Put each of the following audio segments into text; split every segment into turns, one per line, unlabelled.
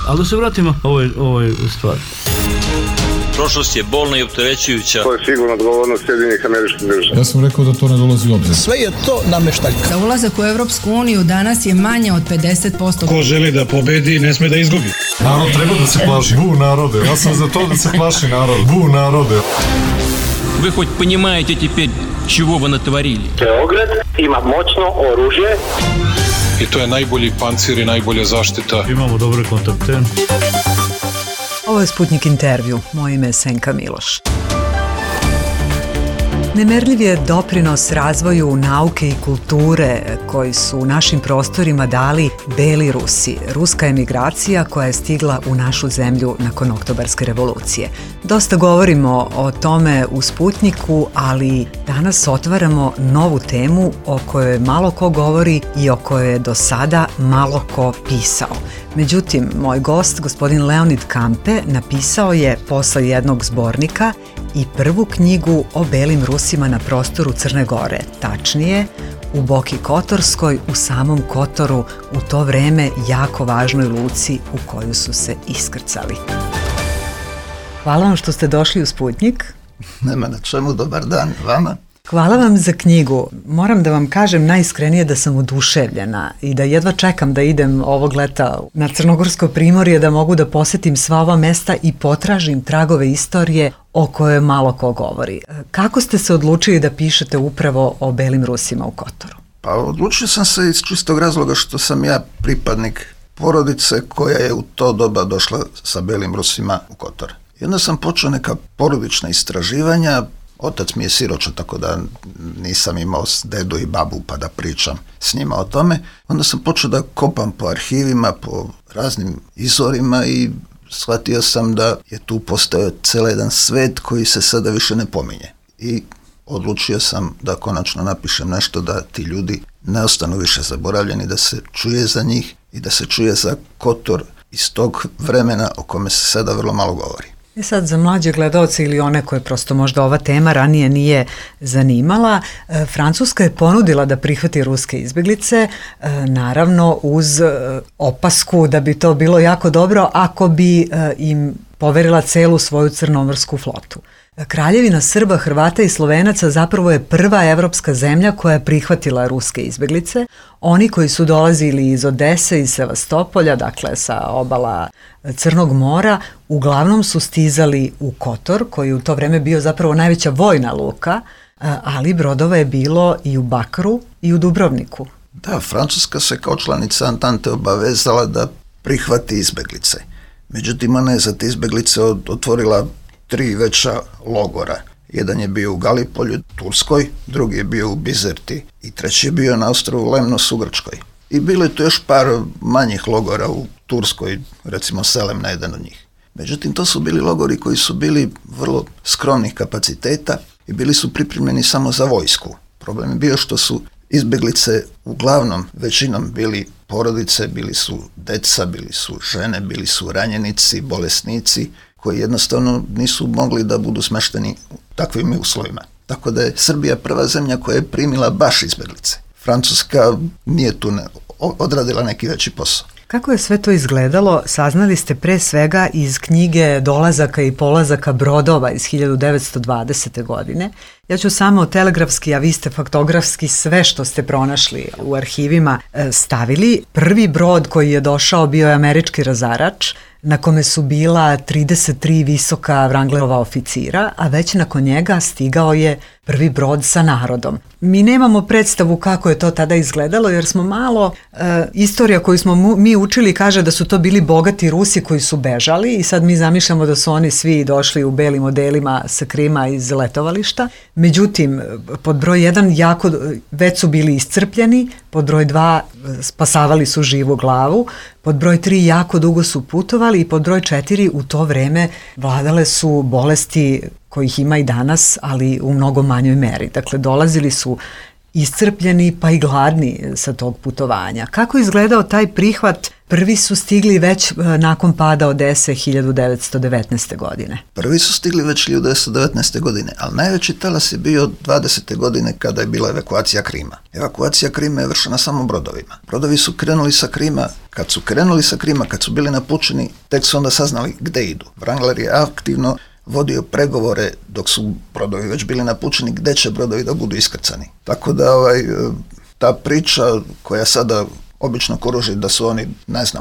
Ali da se vratimo ovoj stvari.
Prošlost je bolna i opterećujuća.
To je sigurno odgovornost Sjedinjenih Američkih Država.
Ja sam rekao da to ne dolazi u obzir.
Sve je to nameštaljka.
Za ulazak u Evropsku uniju danas je manje od 50%.
Ko želi da pobedi, ne sme da izgubi.
Narod treba da se plaši. Bu narode. Ja sam za to da se plaši narod. Bu narode.
Вы хоть понимаете теперь, чего вы натворили?
Beograd ima moćno oružje.
I to je najbolji pancir i najbolja zaštita.
Imamo dobre kontakte.
Ovo je Sputnik intervju. Moje ime je Senka Miloš. Nemerljiv je doprinos razvoju nauke i kulture koji su u našim prostorima dali Beli Rusi, ruska emigracija koja je stigla u našu zemlju nakon Oktobarske revolucije. Dosta govorimo o tome u Sputniku, ali danas otvaramo novu temu o kojoj malo ko govori i o kojoj je do sada malo ko pisao. Međutim, moj gost, gospodin Leonid Kampe, napisao je posle jednog zbornika i prvu knjigu o belim Rusima na prostoru Crne Gore, tačnije u Boki Kotorskoj, u samom Kotoru, u to vreme jako važnoj luci u koju su se iskrcali. Hvala vam što ste došli u Sputnik.
Nema na čemu, dobar dan vama.
Hvala vam za knjigu. Moram da vam kažem najiskrenije da sam oduševljena i da jedva čekam da idem ovog leta na Crnogorsko primorje, da mogu da posetim sva ova mesta i potražim tragove istorije o kojoj malo ko govori. Kako ste se odlučili da pišete upravo o belim Rusima u Kotoru?
Pa odlučio sam se iz čistog razloga što sam ja pripadnik porodice koja je u to doba došla sa belim Rusima u Kotor. I onda sam počeo neka porodična istraživanja. Otac mi je siroča, tako da nisam imao dedu i babu pa da pričam s njima o tome. Onda sam počeo da kopam po arhivima, po raznim izvorima i shvatio sam da je tu postao cijeli jedan svet koji se sada više ne pominje. I odlučio sam da konačno napišem nešto da ti ljudi ne ostanu više zaboravljeni, da se čuje za njih i da se čuje za Kotor iz tog vremena o kome se sada vrlo malo govori.
Sad za mlađe gledaoce ili one koje prosto možda ova tema ranije nije zanimala, Francuska je ponudila da prihvati ruske izbjeglice, naravno uz opasku da bi to bilo jako dobro ako bi im poverila celu svoju crnomorsku flotu. Kraljevina Srba, Hrvata i Slovenaca zapravo je prva evropska zemlja koja je prihvatila ruske izbjeglice. Oni koji su dolazili iz Odese i Sevastopolja, dakle sa obala Crnog mora, uglavnom su stizali u Kotor, koji u to vreme bio zapravo najveća vojna luka, ali brodova je bilo i u Bakru i u Dubrovniku.
Da, Francuska se kao članica Antante obavezala da prihvati izbjeglice. Međutim, ona je za te izbjeglice otvorila 3 veća logora. Jedan je bio u Galipolju, Turskoj, drugi je bio u Bizerti i treći je bio na ostrvu Lemnos u Grčkoj. I bilo je tu još par manjih logora u Turskoj, recimo Selem na jedan od njih. Međutim, to su bili logori koji su bili vrlo skromnih kapaciteta i bili su pripremljeni samo za vojsku. Problem je bio što su izbjeglice uglavnom većinom bili porodice, bili su deca, bili su žene, bili su ranjenici, bolesnici, koji jednostavno nisu mogli da budu smešteni u takvim uslovima. Tako da je Srbija prva zemlja koja je primila baš izbjeglice. Francuska nije tu odradila neki veći posao.
Kako je sve to izgledalo, saznali ste pre svega iz knjige Dolazaka i polazaka brodova iz 1920. godine. Ja ću samo telegrafski, a vi ste faktografski sve što ste pronašli u arhivima stavili. Prvi brod koji je došao bio je američki razarač, na kome su bila 33 visoka Wranglerova oficira, a već nakon njega stigao je prvi brod sa narodom. Mi nemamo predstavu kako je to tada izgledalo, jer smo malo, istorija koju smo mi učili kaže da su to bili bogati Rusi koji su bežali i sad mi zamišljamo da su oni svi došli u belim odelima sa Krima iz letovališta. Međutim, pod broj 1 već su bili iscrpljeni, pod broj 2 spasavali su živu glavu, pod broj 3 jako dugo su putovali i pod broj 4 u to vreme vladale su bolesti kojih ima i danas, ali u mnogo manjoj meri. Dakle, dolazili su iscrpljeni pa i gladni sa tog putovanja. Kako je izgledao taj prihvat Prvi su stigli već nakon pada Odese 1919. godine.
Prvi su stigli već 1919. godine, ali najveći talas je bio 20. godine kada je bila evakuacija Krima. Evakuacija Krima je vršena samo brodovima. Brodovi su krenuli sa Krima, kad su bili napučeni, tek su onda saznali gde idu. Wrangler je aktivno vodio pregovore dok su brodovi već bili napučeni, gde će brodovi da budu iskrcani. Tako da ta priča koja sada obično kruži da su oni,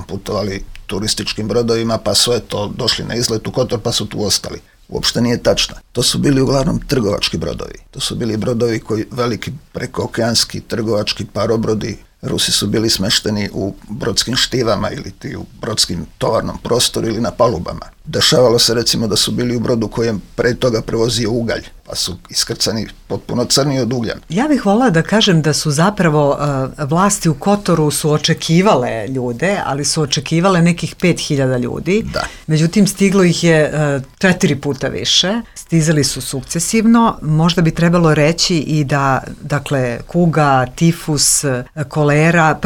putovali turističkim brodovima pa su došli na izlet u Kotor pa su tu ostali. Uopšte nije tačna. To su bili uglavnom trgovački brodovi. To su bili brodovi veliki prekookeanski trgovački parobrodi. Rusi su bili smešteni u brodskim štivama ili u brodskim tovarnom prostoru ili na palubama. Dešavalo se recimo da su bili u brodu kojem pre toga prevozio ugalj, pa su iskrcani potpuno crni od uglja.
Ja bih voljela da kažem da su zapravo vlasti u Kotoru su očekivale ljude, ali su očekivale nekih 5000 ljudi.
Da.
Međutim, stiglo ih je 4 puta više. Stizali su sukcesivno. Možda bi trebalo reći i da, dakle, kuga, tifus, kolera,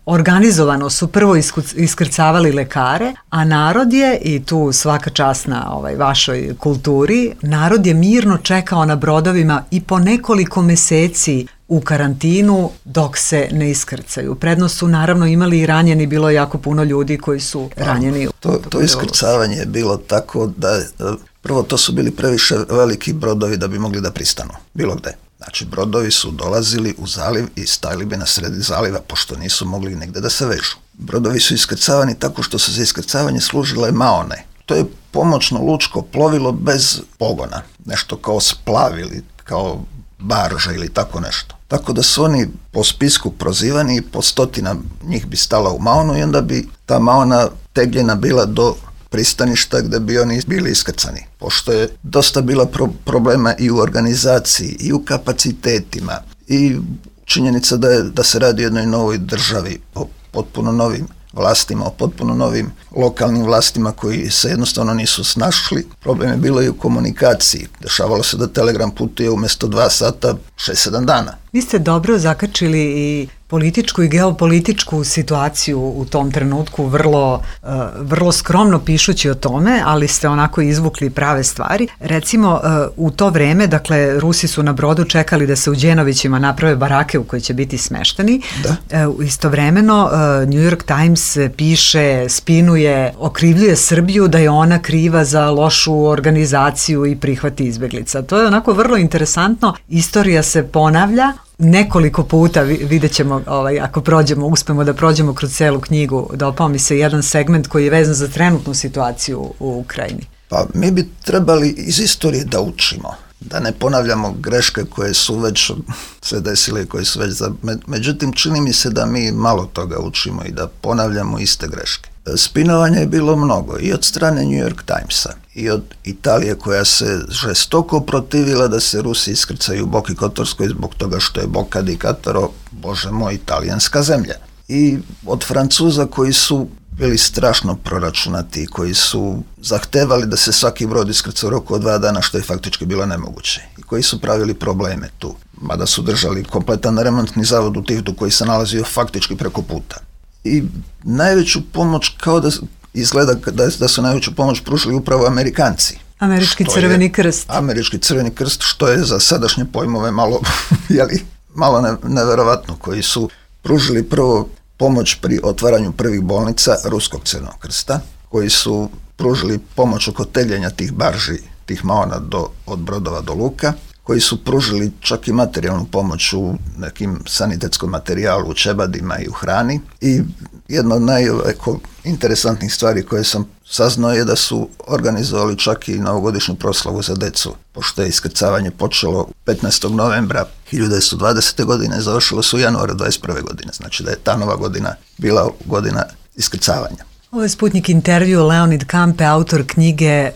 organizovano su prvo iskrcavali lekare, a narod je, i tu svaka čast na vašoj kulturi, narod je mirno čekao na brodovima i po nekoliko meseci u karantinu dok se ne iskrcaju. Prednost su naravno imali i ranjeni, bilo je jako puno ljudi koji su ranjeni.
To iskrcavanje je bilo tako da prvo to su bili previše veliki brodovi da bi mogli da pristanu, bilo gde. Znači, brodovi su dolazili u zaliv i stajali bi na sredi zaliva, pošto nisu mogli negde da se vežu. Brodovi su iskrcavani tako što su za iskrcavanje služile maone. To je pomoćno lučko plovilo bez pogona, nešto kao splav ili kao barža ili tako nešto. Tako da su oni po spisku prozivani i po 100 njih bi stala u maonu i onda bi ta maona tegljena bila do pristaništa gde bi oni bili iskrcani. Pošto je dosta bila problema i u organizaciji i u kapacitetima i činjenica da se radi o jednoj novoj državi, o potpuno novim vlastima, o potpuno novim lokalnim vlastima koji se jednostavno nisu snašli. Problem je bilo i u komunikaciji. Dešavalo se da telegram putuje umjesto 2 sata 6-7 dana.
Vi ste dobro zakačili i političku i geopolitičku situaciju u tom trenutku, vrlo skromno pišući o tome, ali ste onako izvukli prave stvari. Recimo, u to vreme, dakle, Rusi su na brodu čekali da se u Đenovićima naprave barake u koje će biti smešteni. Istovremeno, New York Times piše, spinuje, okrivljuje Srbiju da je ona kriva za lošu organizaciju i prihvat izbeglica. To je onako vrlo interesantno. Istorija se ponavlja nekoliko puta, vidjet ćemo ako uspemo da prođemo kroz celu knjigu, dopao mi se jedan segment koji je vezan za trenutnu situaciju u Ukrajini.
Pa mi bi trebali iz istorije da učimo, da ne ponavljamo greške koje su već se desile, koje su već međutim čini mi se da mi malo toga učimo i da ponavljamo iste greške. Spinovanja je bilo mnogo i od strane New York Timesa i od Italije koja se žestoko protivila da se Rusi iskrcaju u Boki Kotorskoj zbog toga što je Boka di Kataro, bože moj, italijanska zemlja. I od Francuza koji su bili strašno proračunati, koji su zahtevali da se svaki brod iskrca u roku od 2 dana, što je faktički bilo nemoguće, i koji su pravili probleme tu, mada su držali kompletan remontni zavod u Tivdu koji se nalazio faktički preko puta. I najveću pomoć, kao da izgleda da su najveću pomoć pružili upravo Amerikanci.
Američki crveni krst.
Američki crveni krst, što je za sadašnje pojmove malo neverovatno, koji su pružili prvo pomoć pri otvaranju prvih bolnica Ruskog crvenog krsta, koji su pružili pomoć oko tegljenja tih barži, tih maona od brodova do luka, koji su pružili čak i materijalnu pomoć u nekim sanitetskom materijalu, u čebadima i u hrani. I jedna od najinteresantnijih stvari koje sam saznao je da su organizovali čak i novogodišnju proslavu za decu, pošto je iskrcavanje počelo 15. novembra 1920. godine, završilo se u januaru 21. godine, znači da je ta nova godina bila godina iskrcavanja.
Ovo je Sputnik intervju, Leonid Kampe, autor knjige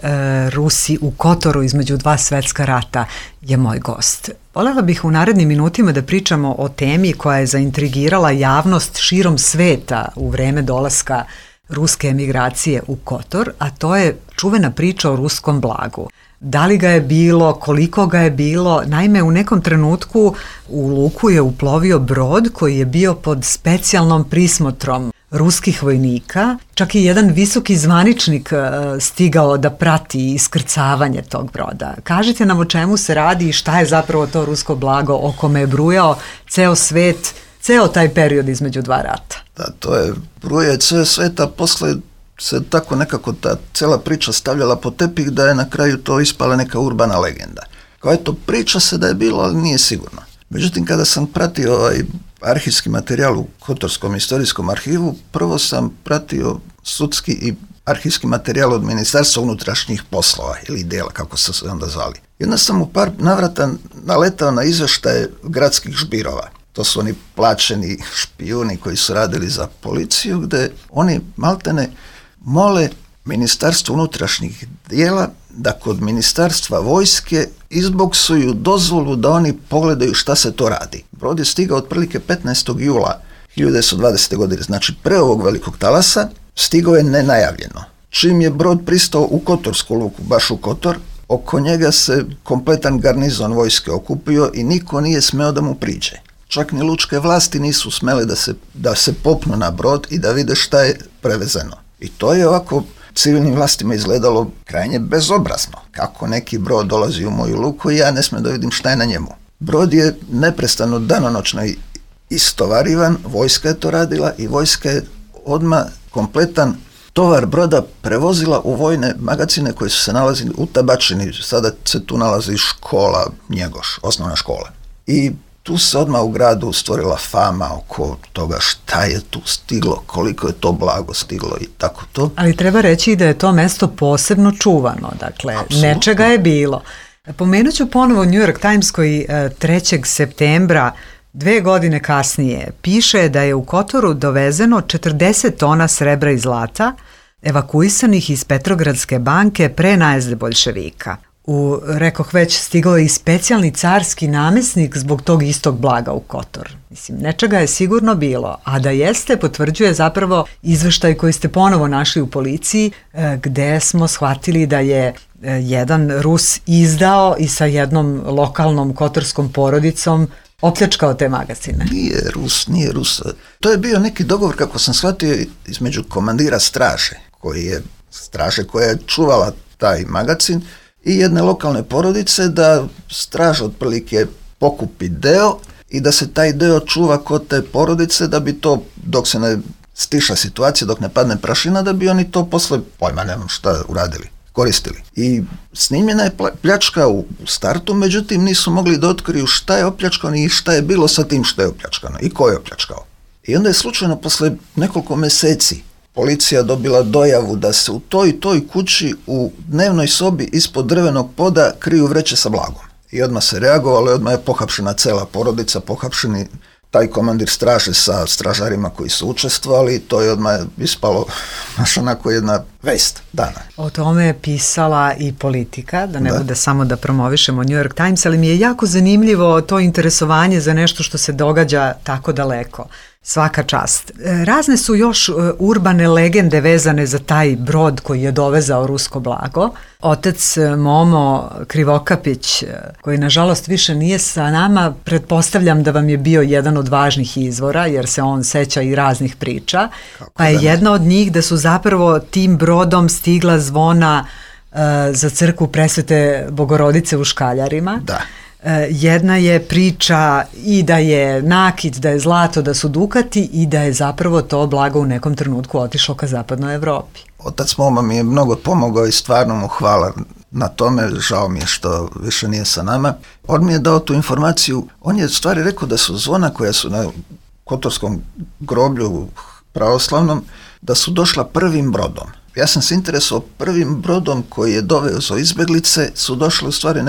Rusi u Kotoru između 2 svetska rata, je moj gost. Voljela bih u narednim minutima da pričamo o temi koja je zaintrigirala javnost širom sveta u vreme dolaska ruske emigracije u Kotor, a to je čuvena priča o ruskom blagu. Da li ga je bilo, koliko ga je bilo? Naime, u nekom trenutku u luku je uplovio brod koji je bio pod specijalnom prismotrom ruskih vojnika. Čak i jedan visoki zvaničnik stigao da prati iskrcavanje tog broda. Kažite nam o čemu se radi i šta je zapravo to rusko blago o kome je brujao ceo svet, ceo taj period između dva rata.
Da, to je bruje ceo sveta, posle se tako nekako ta cela priča stavljala po tepih da je na kraju to ispala neka urbana legenda. Kao eto, priča se da je bilo, ali nije sigurno. Međutim, kada sam pratio arhivski materijal u Kotorskom istorijskom arhivu, prvo sam pratio sudski i arhivski materijal od Ministarstva unutrašnjih poslova, ili dela, kako su se onda zvali. Jedna sam u par navrata naletao na izveštaje gradskih žbirova. To su oni plaćeni špijuni koji su radili za policiju, gde oni maltene mole Ministarstvo unutrašnjih dijela da kod Ministarstva vojske izboksuju dozvolu da oni pogledaju šta se to radi. Brod je stigao otprilike 15. jula 1920. godine, znači pre ovog velikog talasa, stigao je nenajavljeno. Čim je brod pristao u Kotorsku luku, baš u Kotor, oko njega se kompletan garnizon vojske okupio i niko nije smeo da mu priđe. Čak ni lučke vlasti nisu smele da se popnu na brod i da vide šta je prevezeno. I to je ovako civilnim vlastima izgledalo krajnje bezobrazno. Kako neki brod dolazi u moju luku i ja ne smijem da vidim šta je na njemu. Brod je neprestano danonoćno istovarivan, vojska je to radila i vojska je odmah kompletan tovar broda prevozila u vojne magacine koji su se nalazili u Tabačini. Sada se tu nalazi škola Njegoš, osnovna škola. I tu se odmah u gradu stvorila fama oko toga šta je tu stiglo, koliko je to blago stiglo i tako to.
Ali treba reći da je to mesto posebno čuvano, dakle, apsolutno. Nečega je bilo. Pomenut ću ponovo New York Times koji 3. septembra 2 godine kasnije piše da je u Kotoru dovezeno 40 tona srebra i zlata evakuisanih iz Petrogradske banke pre najezde boljševika. Rekoh već, stigao je i specijalni carski namesnik zbog tog istog blaga u Kotor. Mislim, nečega je sigurno bilo, a da jeste potvrđuje zapravo izveštaj koji ste ponovo našli u policiji, gde smo shvatili da je jedan Rus izdao i sa jednom lokalnom kotorskom porodicom opljačkao te magazine.
Nije Rus. To je bio neki dogovor, kako sam shvatio, između komandira straže koja je čuvala taj magazin i jedne lokalne porodice, da straža otprilike pokupi deo i da se taj deo čuva kod te porodice, da bi to, dok se ne stiša situacija, dok ne padne prašina, da bi oni to posle, pojma nemam šta uradili, koristili. I snimljena je pljačka u startu, međutim nisu mogli da otkriju šta je opljačkano i šta je bilo sa tim što je opljačkano i ko je opljačkao. I onda je slučajno posle nekoliko meseci policija dobila dojavu da se u toj kući u dnevnoj sobi ispod drvenog poda kriju vreće sa blagom. I odmah se reagovalo i odmah je pohapšena cela porodica, pohapšeni taj komandir straže sa stražarima koji su učestvovali, to je odmah ispalo baš onako jedna vest dana.
O tome je pisala i Politika, da ne bude samo da promovišemo New York Times, ali mi je jako zanimljivo to interesovanje za nešto što se događa tako daleko. Svaka čast. Razne su još urbane legende vezane za taj brod koji je dovezao rusko blago. Otec Momo Krivokapić, koji nažalost više nije sa nama, pretpostavljam da vam je bio jedan od važnih izvora, jer se on seća i raznih priča. Pa je jedna od njih da su zapravo tim brodom stigla zvona za crkvu Presvete Bogorodice u Škaljarima.
Da.
Jedna je priča i da je nakit, da je zlato, da su dukati i da je zapravo to blago u nekom trenutku otišlo ka zapadnoj Evropi.
Otac Moma mi je mnogo pomogao i stvarno mu hvala na tome, žao mi je što više nije sa nama. On mi je dao tu informaciju, on je stvari rekao da su zvona koja su na Kotorskom groblju pravoslavnom, da su došla prvim brodom. Ja sam se interesovao prvim brodom koji je dovezao izbeglice, su došli u stvari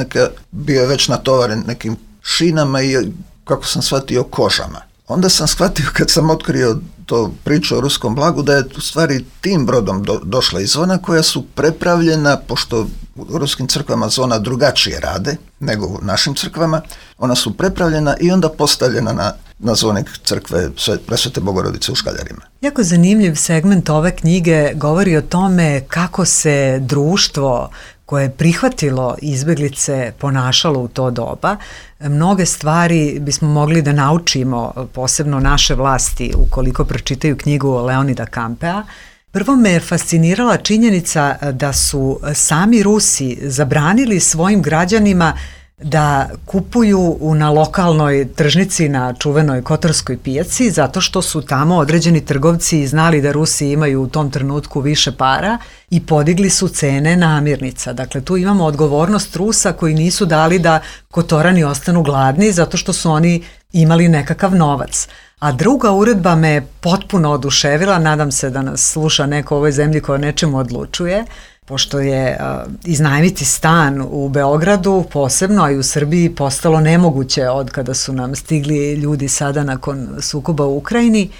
bio je već natovaren nekim šinama i, kako sam shvatio, kožama. Onda sam shvatio, kad sam otkrio to priču o ruskom blagu, da je u stvari tim brodom došla i zvona koja su prepravljena, pošto u ruskim crkvama zvona drugačije rade nego u našim crkvama, ona su prepravljena i onda postavljena na zvonik crkve Presvete Bogorodice u Škaljarima.
Jako zanimljiv segment ove knjige govori o tome kako se društvo koje je prihvatilo izbeglice ponašalo u to doba. Mnoge stvari bismo mogli da naučimo, posebno naše vlasti, ukoliko pročitaju knjigu Leonida Kampea. Prvo me je fascinirala činjenica da su sami Rusi zabranili svojim građanima da kupuju na lokalnoj tržnici na čuvenoj Kotorskoj pijaci, zato što su tamo određeni trgovci znali da Rusi imaju u tom trenutku više para i podigli su cene namirnica. Dakle, tu imamo odgovornost Rusa koji nisu dali da Kotorani ostanu gladni zato što su oni imali nekakav novac. A druga uredba me potpuno oduševila, nadam se da nas sluša neko u ovoj zemlji koja o nečemu odlučuje, pošto je iznajmiti stan u Beogradu posebno, a i u Srbiji postalo nemoguće od kada su nam stigli ljudi sada nakon sukoba u Ukrajini,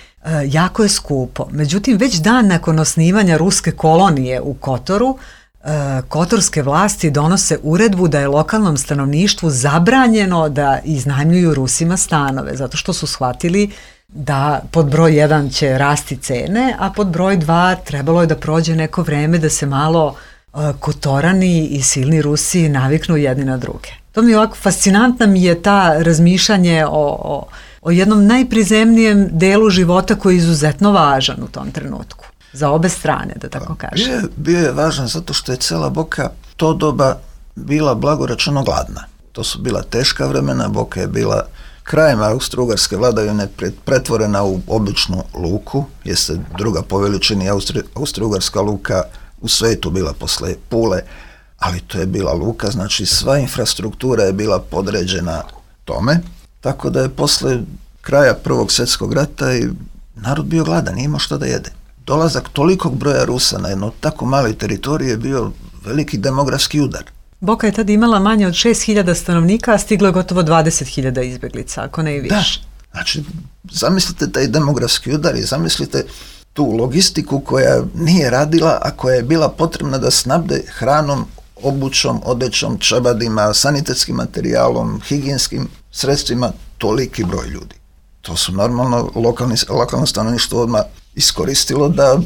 jako je skupo. Međutim, već dan nakon osnivanja ruske kolonije u Kotoru, kotorske vlasti donose uredbu da je lokalnom stanovništvu zabranjeno da iznajmljuju Rusima stanove, zato što su shvatili da pod broj 1 će rasti cene, a pod broj 2 trebalo je da prođe neko vreme da se malo Kotorani i silni Rusi naviknu jedni na druge. To mi je ovako, fascinantna mi je ta razmišljanje o jednom najprizemnijem delu života koji je izuzetno važan u tom trenutku. Za obe strane, da tako kažem.
Bio je važan zato što je cela Boka to doba bila blagoračeno gladna. To su bila teška vremena, Boka je bila krajem austro-ugarske vladavine pretvorena u običnu luku, jeste druga po veličini austro-ugarska luka u svetu bila posle Pule, ali to je bila luka, znači sva infrastruktura je bila podređena tome, tako da je posle kraja Prvog svjetskog rata i narod bio gladan, nije imao što da jede. Dolazak tolikog broja Rusa na jedno tako maloj teritoriji je bio veliki demografski udar.
Boka je tada imala manje od 6.000 stanovnika, a stiglo je gotovo 20.000 izbeglica, ako ne i više.
Da, znači, zamislite taj demografski udar i zamislite tu logistiku koja nije radila, a koja je bila potrebna da snabde hranom, obućom, odećom, čabadima, sanitetskim materijalom, higijenskim sredstvima, toliki broj ljudi. To su normalno lokalno stanovništvo odmah iskoristilo da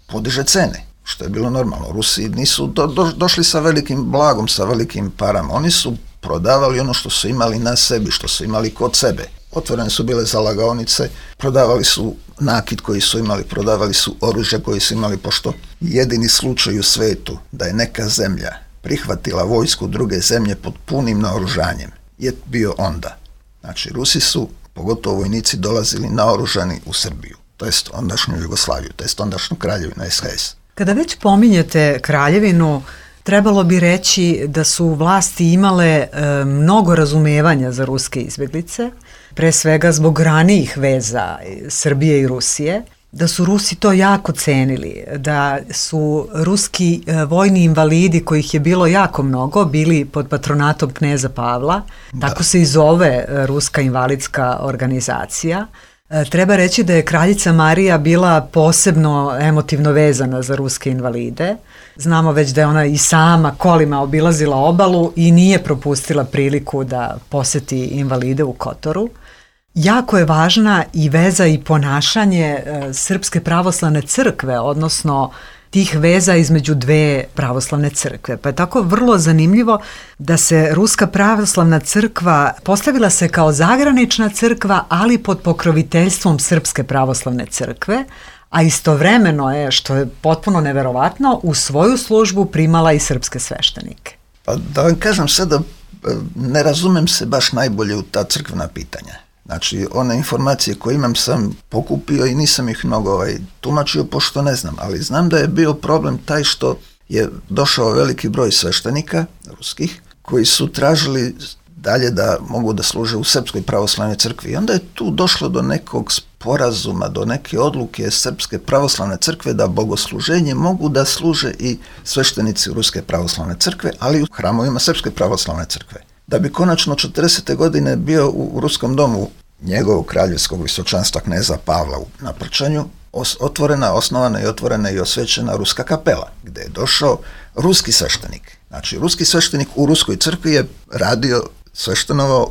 podiže cene, što je bilo normalno. Rusi nisu došli sa velikim blagom, sa velikim parama. Oni su prodavali ono što su imali na sebi, što su imali kod sebe. Otvorene su bile zalagaonice, prodavali su nakit koji su imali, prodavali su oružje koji su imali, pošto jedini slučaj u svetu da je neka zemlja prihvatila vojsku druge zemlje pod punim naoružanjem je bio onda. Znači, Rusi su, pogotovo vojnici, dolazili naoružani u Srbiju, to jest ondašnju Jugoslaviju, to jest ondašnju Kraljevinu SHS.
Kada već pominjete Kraljevinu, trebalo bi reći da su vlasti imale mnogo razumevanja za ruske izbeglice, pre svega zbog ranijih veza Srbije i Rusije, da su Rusi to jako cenili, da su ruski vojni invalidi, kojih je bilo jako mnogo, bili pod patronatom kneza Pavla, tako se i zove Ruska invalidska organizacija. Treba reći da je kraljica Marija bila posebno emotivno vezana za ruske invalide. Znamo već da je ona i sama kolima obilazila obalu i nije propustila priliku da poseti invalide u Kotoru. Jako je važna i veza i ponašanje Srpske pravoslavne crkve, odnosno tih veza između dve pravoslavne crkve. Pa je tako vrlo zanimljivo da se Ruska pravoslavna crkva postavila se kao zagranična crkva, ali pod pokroviteljstvom Srpske pravoslavne crkve, a istovremeno je, što je potpuno neverovatno, u svoju službu primala i srpske sveštenike.
Pa da vam kažem sada, ne razumem se baš najbolje u ta crkvena pitanja. Znači, one informacije koje imam sam pokupio i nisam ih mnogo tumačio, pošto ne znam, ali znam da je bio problem taj što je došao veliki broj sveštenika ruskih, koji su tražili dalje da mogu da služe u Srpskoj pravoslavnoj crkvi. I onda je tu došlo do nekog sporazuma, do neke odluke Srpske pravoslavne crkve da bogosluženje mogu da služe i sveštenici Ruske pravoslavne crkve, ali u hramovima Srpske pravoslavne crkve. Da bi konačno 40. godine bio u Ruskom domu njegovog kraljevskog visočanstva kneza Pavla na Prčanju osnovana i osvećena Ruska kapela, gde je došao ruski sveštenik. Znači, ruski sveštenik u Ruskoj crkvi je radio, sveštenovao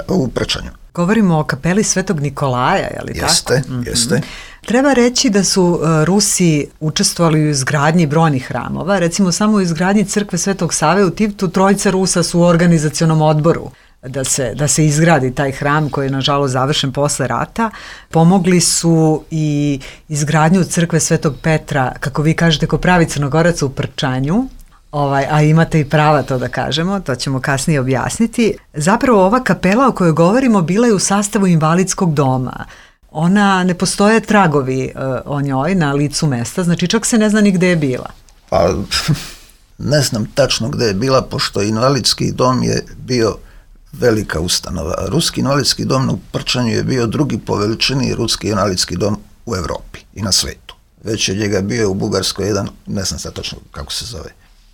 u Prčanju.
Govorimo o kapeli Svetog Nikolaja, je li tako?
Jeste.
Treba reći da su Rusi učestvovali u izgradnji brojnih hramova, recimo samo u izgradnji crkve Svetog Save u Tivtu 3 Rusa su u organizacionom odboru da se izgradi taj hram koji je nažalost završen posle rata. Pomogli su i izgradnju crkve Svetog Petra, kako vi kažete, ko pravi Crnogorac u Prčanju, a imate i prava to da kažemo, to ćemo kasnije objasniti. Zapravo ova kapela o kojoj govorimo bila je u sastavu invalidskog doma. Ona, ne postoje tragovi o njoj na licu mesta, znači čak se ne zna ni gde je bila.
Pa, ne znam tačno gde je bila, pošto invalidski dom je bio velika ustanova. Ruski invalidski dom u Prčanju je bio drugi po veličini ruski invalidski dom u Evropi i na svetu. Već je njega bio u Bugarskoj jedan, ne znam sad tačno kako se zove.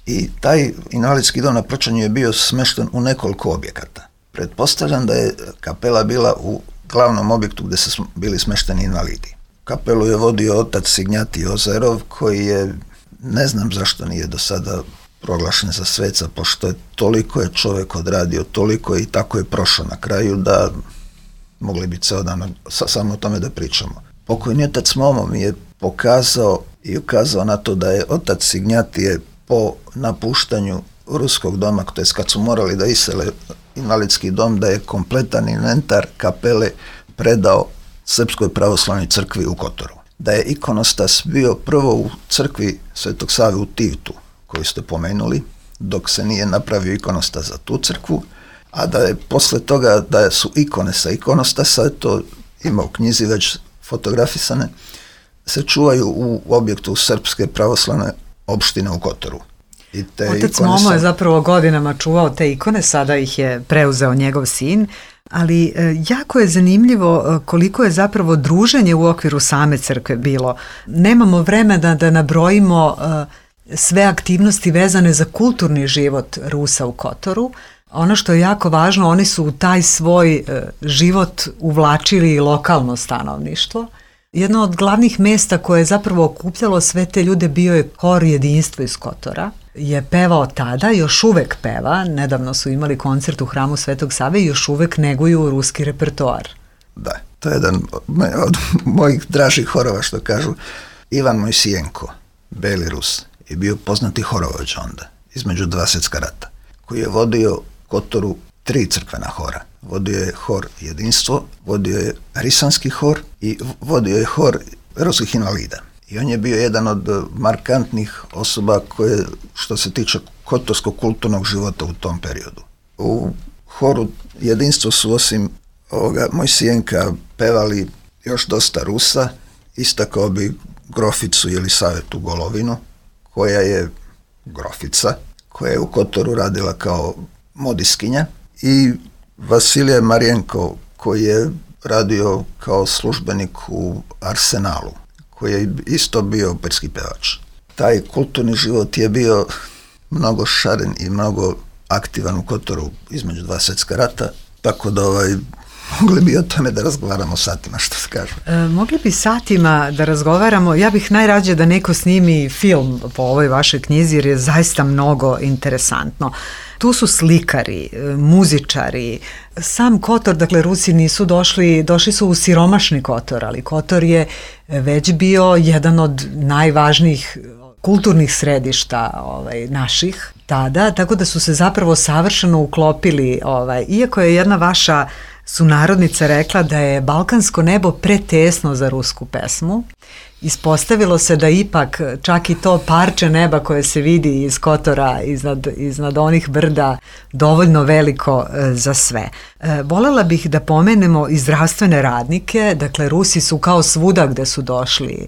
I taj invalidski dom na Prčanju je bio smešten u nekoliko objekata. Pretpostavljam da je kapela bila u glavnom objektu gde su bili smešteni invalidi. Kapelu je vodio otac Signjati Ozerov, koji je, ne znam zašto nije do sada proglašen za sveca, pošto toliko je čovek odradio, toliko i tako je prošao na kraju da mogli bi ceo dan samo o tome da pričamo. Pokojni otac Momo mi je pokazao i ukazao na to da je otac Signjatije po napuštanju ruskog doma, to je kad su morali da isele invalidski dom, da je kompletan inventar kapele predao Srpskoj pravoslavnoj crkvi u Kotoru. Da je ikonostas bio prvo u crkvi Svetog Save u Tivtu, koju ste pomenuli, dok se nije napravio ikonostas za tu crkvu, a da je posle toga, da su ikone sa ikonostasa, to ima u knjizi već fotografisane, se čuvaju u objektu Srpske pravoslavne opštine u Kotoru.
Otac Momo je zapravo godinama čuvao te ikone, sada ih je preuzeo njegov sin, ali jako je zanimljivo koliko je zapravo druženje u okviru same crkve bilo. Nemamo vremena da nabrojimo sve aktivnosti vezane za kulturni život Rusa u Kotoru. Ono što je jako važno, oni su u taj svoj život uvlačili i lokalno stanovništvo. Jedno od glavnih mesta koje je zapravo okupljalo sve te ljude bio je Hor Jedinstvo iz Kotora. Je pevao tada, još uvek peva, nedavno su imali koncert u hramu Svetog Save i još uvek neguju ruski repertoar.
Da, to je jedan od mojih dražih horova, što kažu. Ivan Mojsijenko, Beli Rus, je bio poznati horovođa onda, između 2 svjetska rata, koji je vodio Kotoru 3 crkvena hora. Vodio je hor Jedinstvo, vodio je Risanski hor i vodio je hor ruskih invalida. I on je bio jedan od markantnih osoba koje, što se tiče kotorskog kulturnog života u tom periodu. U horu Jedinstvo su osim Mojsijenka pevali još dosta Rusa, istakao bi groficu Jelisavetu Golovinu, koja je grofica, koja je u Kotoru radila kao modiskinja, i Vasilije Marijenko, koji je radio kao službenik u Arsenalu, koji je isto bio operski pevač. Taj kulturni život je bio mnogo šaren i mnogo aktivan u Kotoru između 2 svjetska rata, tako da mogli bi o tome da razgovaramo satima, što se kaže.
Mogli bi satima da razgovaramo. Ja bih najrađe da neko snimi film po ovoj vašoj knjizi, jer je zaista mnogo interesantno. Tu su slikari, muzičari, sam Kotor, dakle Rusi nisu došli su u siromašni Kotor, ali Kotor je već bio jedan od najvažnijih kulturnih središta naših tada, tako da su se zapravo savršeno uklopili, iako je jedna vaša sunarodnica rekla da je balkansko nebo pretesno za rusku pesmu, ispostavilo se da ipak čak i to parče neba koje se vidi iz Kotora, iznad onih brda, dovoljno veliko za sve. Volela bih da pomenemo i zdravstvene radnike, dakle Rusi su kao svuda gde su došli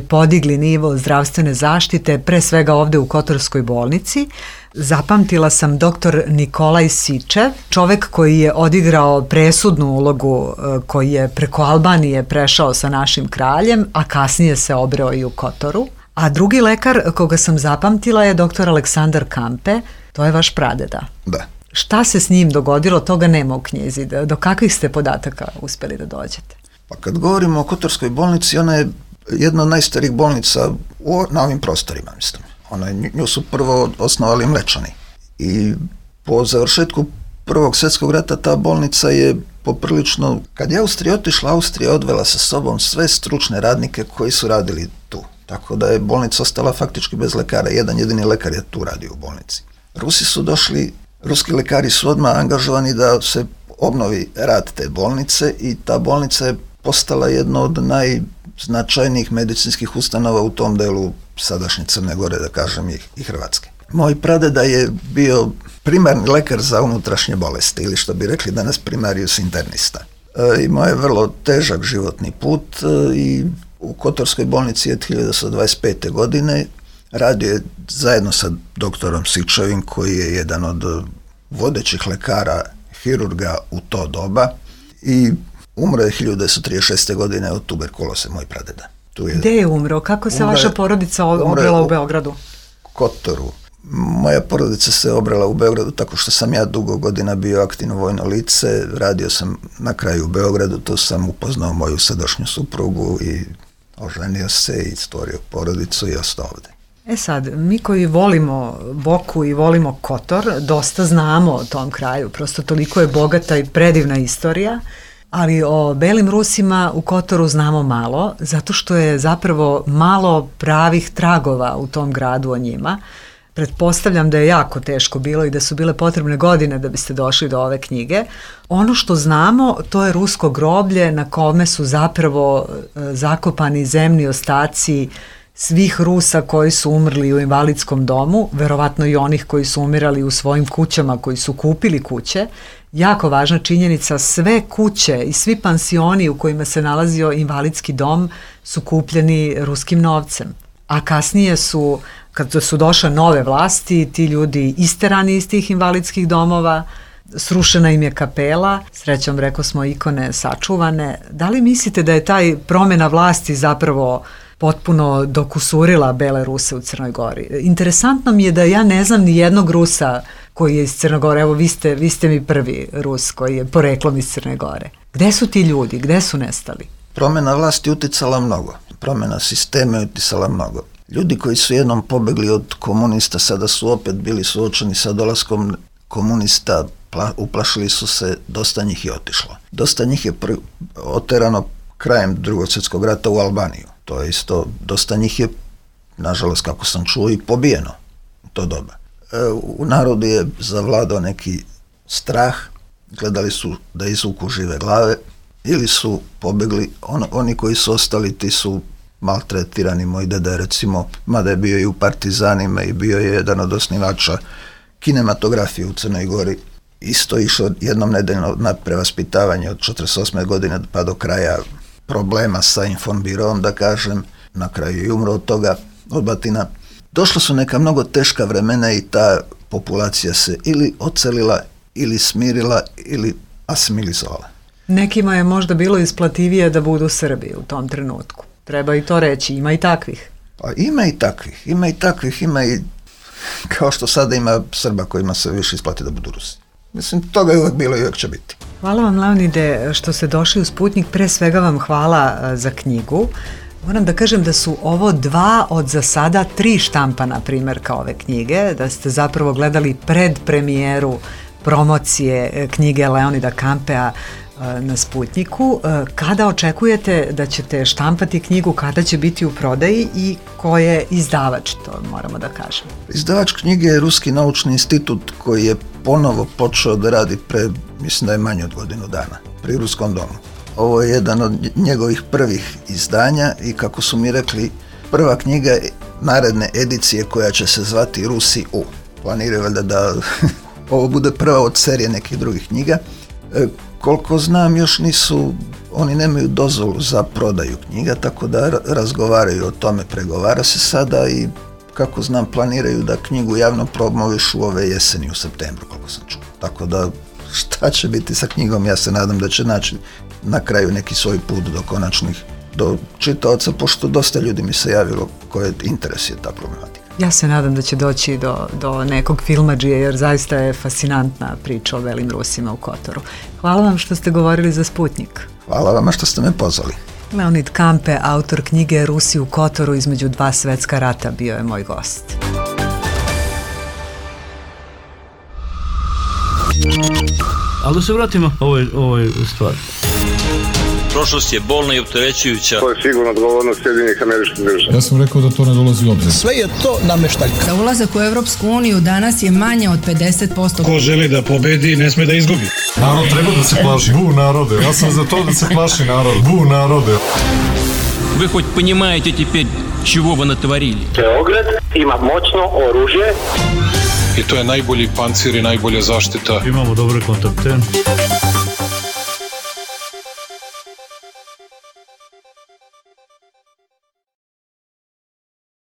podigli nivo zdravstvene zaštite, pre svega ovde u Kotorskoj bolnici. Zapamtila sam dr. Nikolaj Sičev, čovek koji je odigrao presudnu ulogu, koji je preko Albanije prešao sa našim kraljem, a kasnije se obreo i u Kotoru. A drugi lekar koga sam zapamtila je dr. Aleksandar Kampe, to je vaš pradeda.
Da.
Šta se s njim dogodilo, toga nema u knjizi. Do kakvih ste podataka uspeli da dođete?
Pa kad govorimo o Kotorskoj bolnici, ona je jedna od najstarijih bolnica na ovim prostorima, mislim. Nju su prvo osnovali Mlečani. I po završetku Prvog svjetskog rata ta bolnica je poprilično, kad je Austrija otišla, Austrija odvela sa sobom sve stručne radnike koji su radili tu. Tako da je bolnica ostala faktički bez lekara. Jedan jedini lekar je tu radio u bolnici. Rusi su došli, ruski lekari su odmah angažovani da se obnovi rad te bolnice i ta bolnica je postala jedna od najznačajnijih medicinskih ustanova u tom delu sadašnje Crne Gore, da kažem, i Hrvatske. Moj pradeda je bio primarni lekar za unutrašnje bolesti, ili što bi rekli danas primarius internista. Imao je vrlo težak životni put i u Kotorskoj bolnici je 1925. godine radio je zajedno sa doktorom Sičevim, koji je jedan od vodećih lekara hirurga u to doba, i umro je 1936. godine od tuberkuloze, moj pradeda.
Gde je umro? Kako se vaša porodica obrela u Beogradu?
Kotoru. Moja porodica se obrela u Beogradu tako što sam ja dugo godina bio aktivno vojno lice, radio sam na kraju u Beogradu, tu sam upoznao moju sadašnju suprugu i oženio se i stvorio porodicu i ostao ovde.
Sad, mi koji volimo Boku i volimo Kotor, dosta znamo o tom kraju, prosto toliko je bogata i predivna istorija, ali o belim Rusima u Kotoru znamo malo, zato što je zapravo malo pravih tragova u tom gradu o njima. Pretpostavljam da je jako teško bilo i da su bile potrebne godine da biste došli do ove knjige. Ono što znamo, to je rusko groblje na kome su zapravo zakopani zemni ostaci svih Rusa koji su umrli u invalidskom domu, verovatno i onih koji su umirali u svojim kućama, koji su kupili kuće. Jako važna činjenica, sve kuće i svi pansioni u kojima se nalazio invalidski dom su kupljeni ruskim novcem. A kasnije su, kad su došle nove vlasti, ti ljudi isterani iz tih invalidskih domova, srušena im je kapela, srećom reko smo ikone sačuvane. Da li mislite da je taj promjena vlasti zapravo potpuno dokusurila bele Ruse u Crnoj Gori? Interesantno mi je da ja ne znam ni jednog Rusa koji je iz Crne Gore. Evo, vi ste mi prvi Rus koji je poreklom iz Crne Gore. Gde su ti ljudi? Gde su nestali?
Promjena vlasti uticala mnogo. Promjena sistema je uticala mnogo. Ljudi koji su jednom pobegli od komunista sada su opet bili suočeni sa dolaskom komunista, uplašili su se, dosta njih je otišlo. Dosta njih je oterano krajem Drugog svjetskog rata u Albaniju. To je isto, dosta njih je, nažalost, kako sam čuo, i pobijeno u to doba. U narodu je zavladao neki strah, gledali su da izvuku žive glave, ili su pobegli, oni koji su ostali, ti su maltretirani. Moj deda je, recimo, mada je bio i u partizanima i bio je jedan od osnivača kinematografije u Crnoj Gori, isto išao jednom nedeljno na prevaspitavanje od 48. godine pa do kraja problema sa Informbirom, da kažem, na kraju i umro od toga, od batina. Došla su neka mnogo teška vremena i ta populacija se ili ocelila, ili smirila, ili asimilizovala.
Nekima je možda bilo isplativije da budu Srbi u tom trenutku. Treba i to reći, ima i takvih.
Pa ima i takvih, ima i kao što sada ima Srba kojima se više isplati da budu Rusi. Mislim, toga je uvek bilo i uvek će biti.
Hvala vam, Leonide, što ste došli u Sputnik. Pre svega vam hvala za knjigu. Moram da kažem da su ovo 2 od za sada 3 štampana primjerka ove knjige, da ste zapravo gledali predpremijeru promocije knjige Leonida Kampea na Sputniku. Kada očekujete da ćete štampati knjigu, kada će biti u prodaji i ko je izdavač, to moramo da kažemo?
Izdavač knjige je Ruski naučni institut koji je ponovo počeo da radi mislim da je manje od godinu dana, pri Ruskom domu. Ovo je jedan od njegovih prvih izdanja i kako su mi rekli, prva knjiga naredne edicije koja će se zvati Rusi U. Planiraju valjda da ovo bude prva od serije nekih drugih knjiga. Koliko znam, još oni nemaju dozvolu za prodaju knjiga, tako da razgovaraju o tome, pregovara se sada i kako znam planiraju da knjigu javno promovišu ove jeseni u septembru, koliko sam čuo. Tako da šta će biti sa knjigom, ja se nadam da će naći na kraju neki svoj put do čitaoca, pošto dosta ljudi mi se javilo koje interes je ta problematika.
Ja se nadam da će doći do nekog filmadžije, jer zaista je fascinantna priča o belim Rusima u Kotoru. Hvala vam što ste govorili za Sputnik.
Hvala vama što ste me pozvali.
Leonid Kampe, autor knjige Rusi u Kotoru između 2 svetska rata, bio je moj gost.
Ali da se vratimo ovoj stvari.
Prošlost je bolna i opterećujuća.
To je sigurno odgovornost Sjedinjenih Američkih Država.
Ja sam rekao da to ne dolazi u obzir.
Sve je to nameštaljka.
Za ulazak u Evropsku uniju danas je manje od 50%.
Ko želi da pobedi, ne sme da izgubi.
Narod treba da se plaši. Bu narode. Ja sam za to da se plaši narod. Bu narode.
Вы хоть понимаете теперь, чего вы натворили?
Beograd ima moćno oružje.
I to je najbolji pancir i najbolja zaštita.
Imamo dobre kontakte.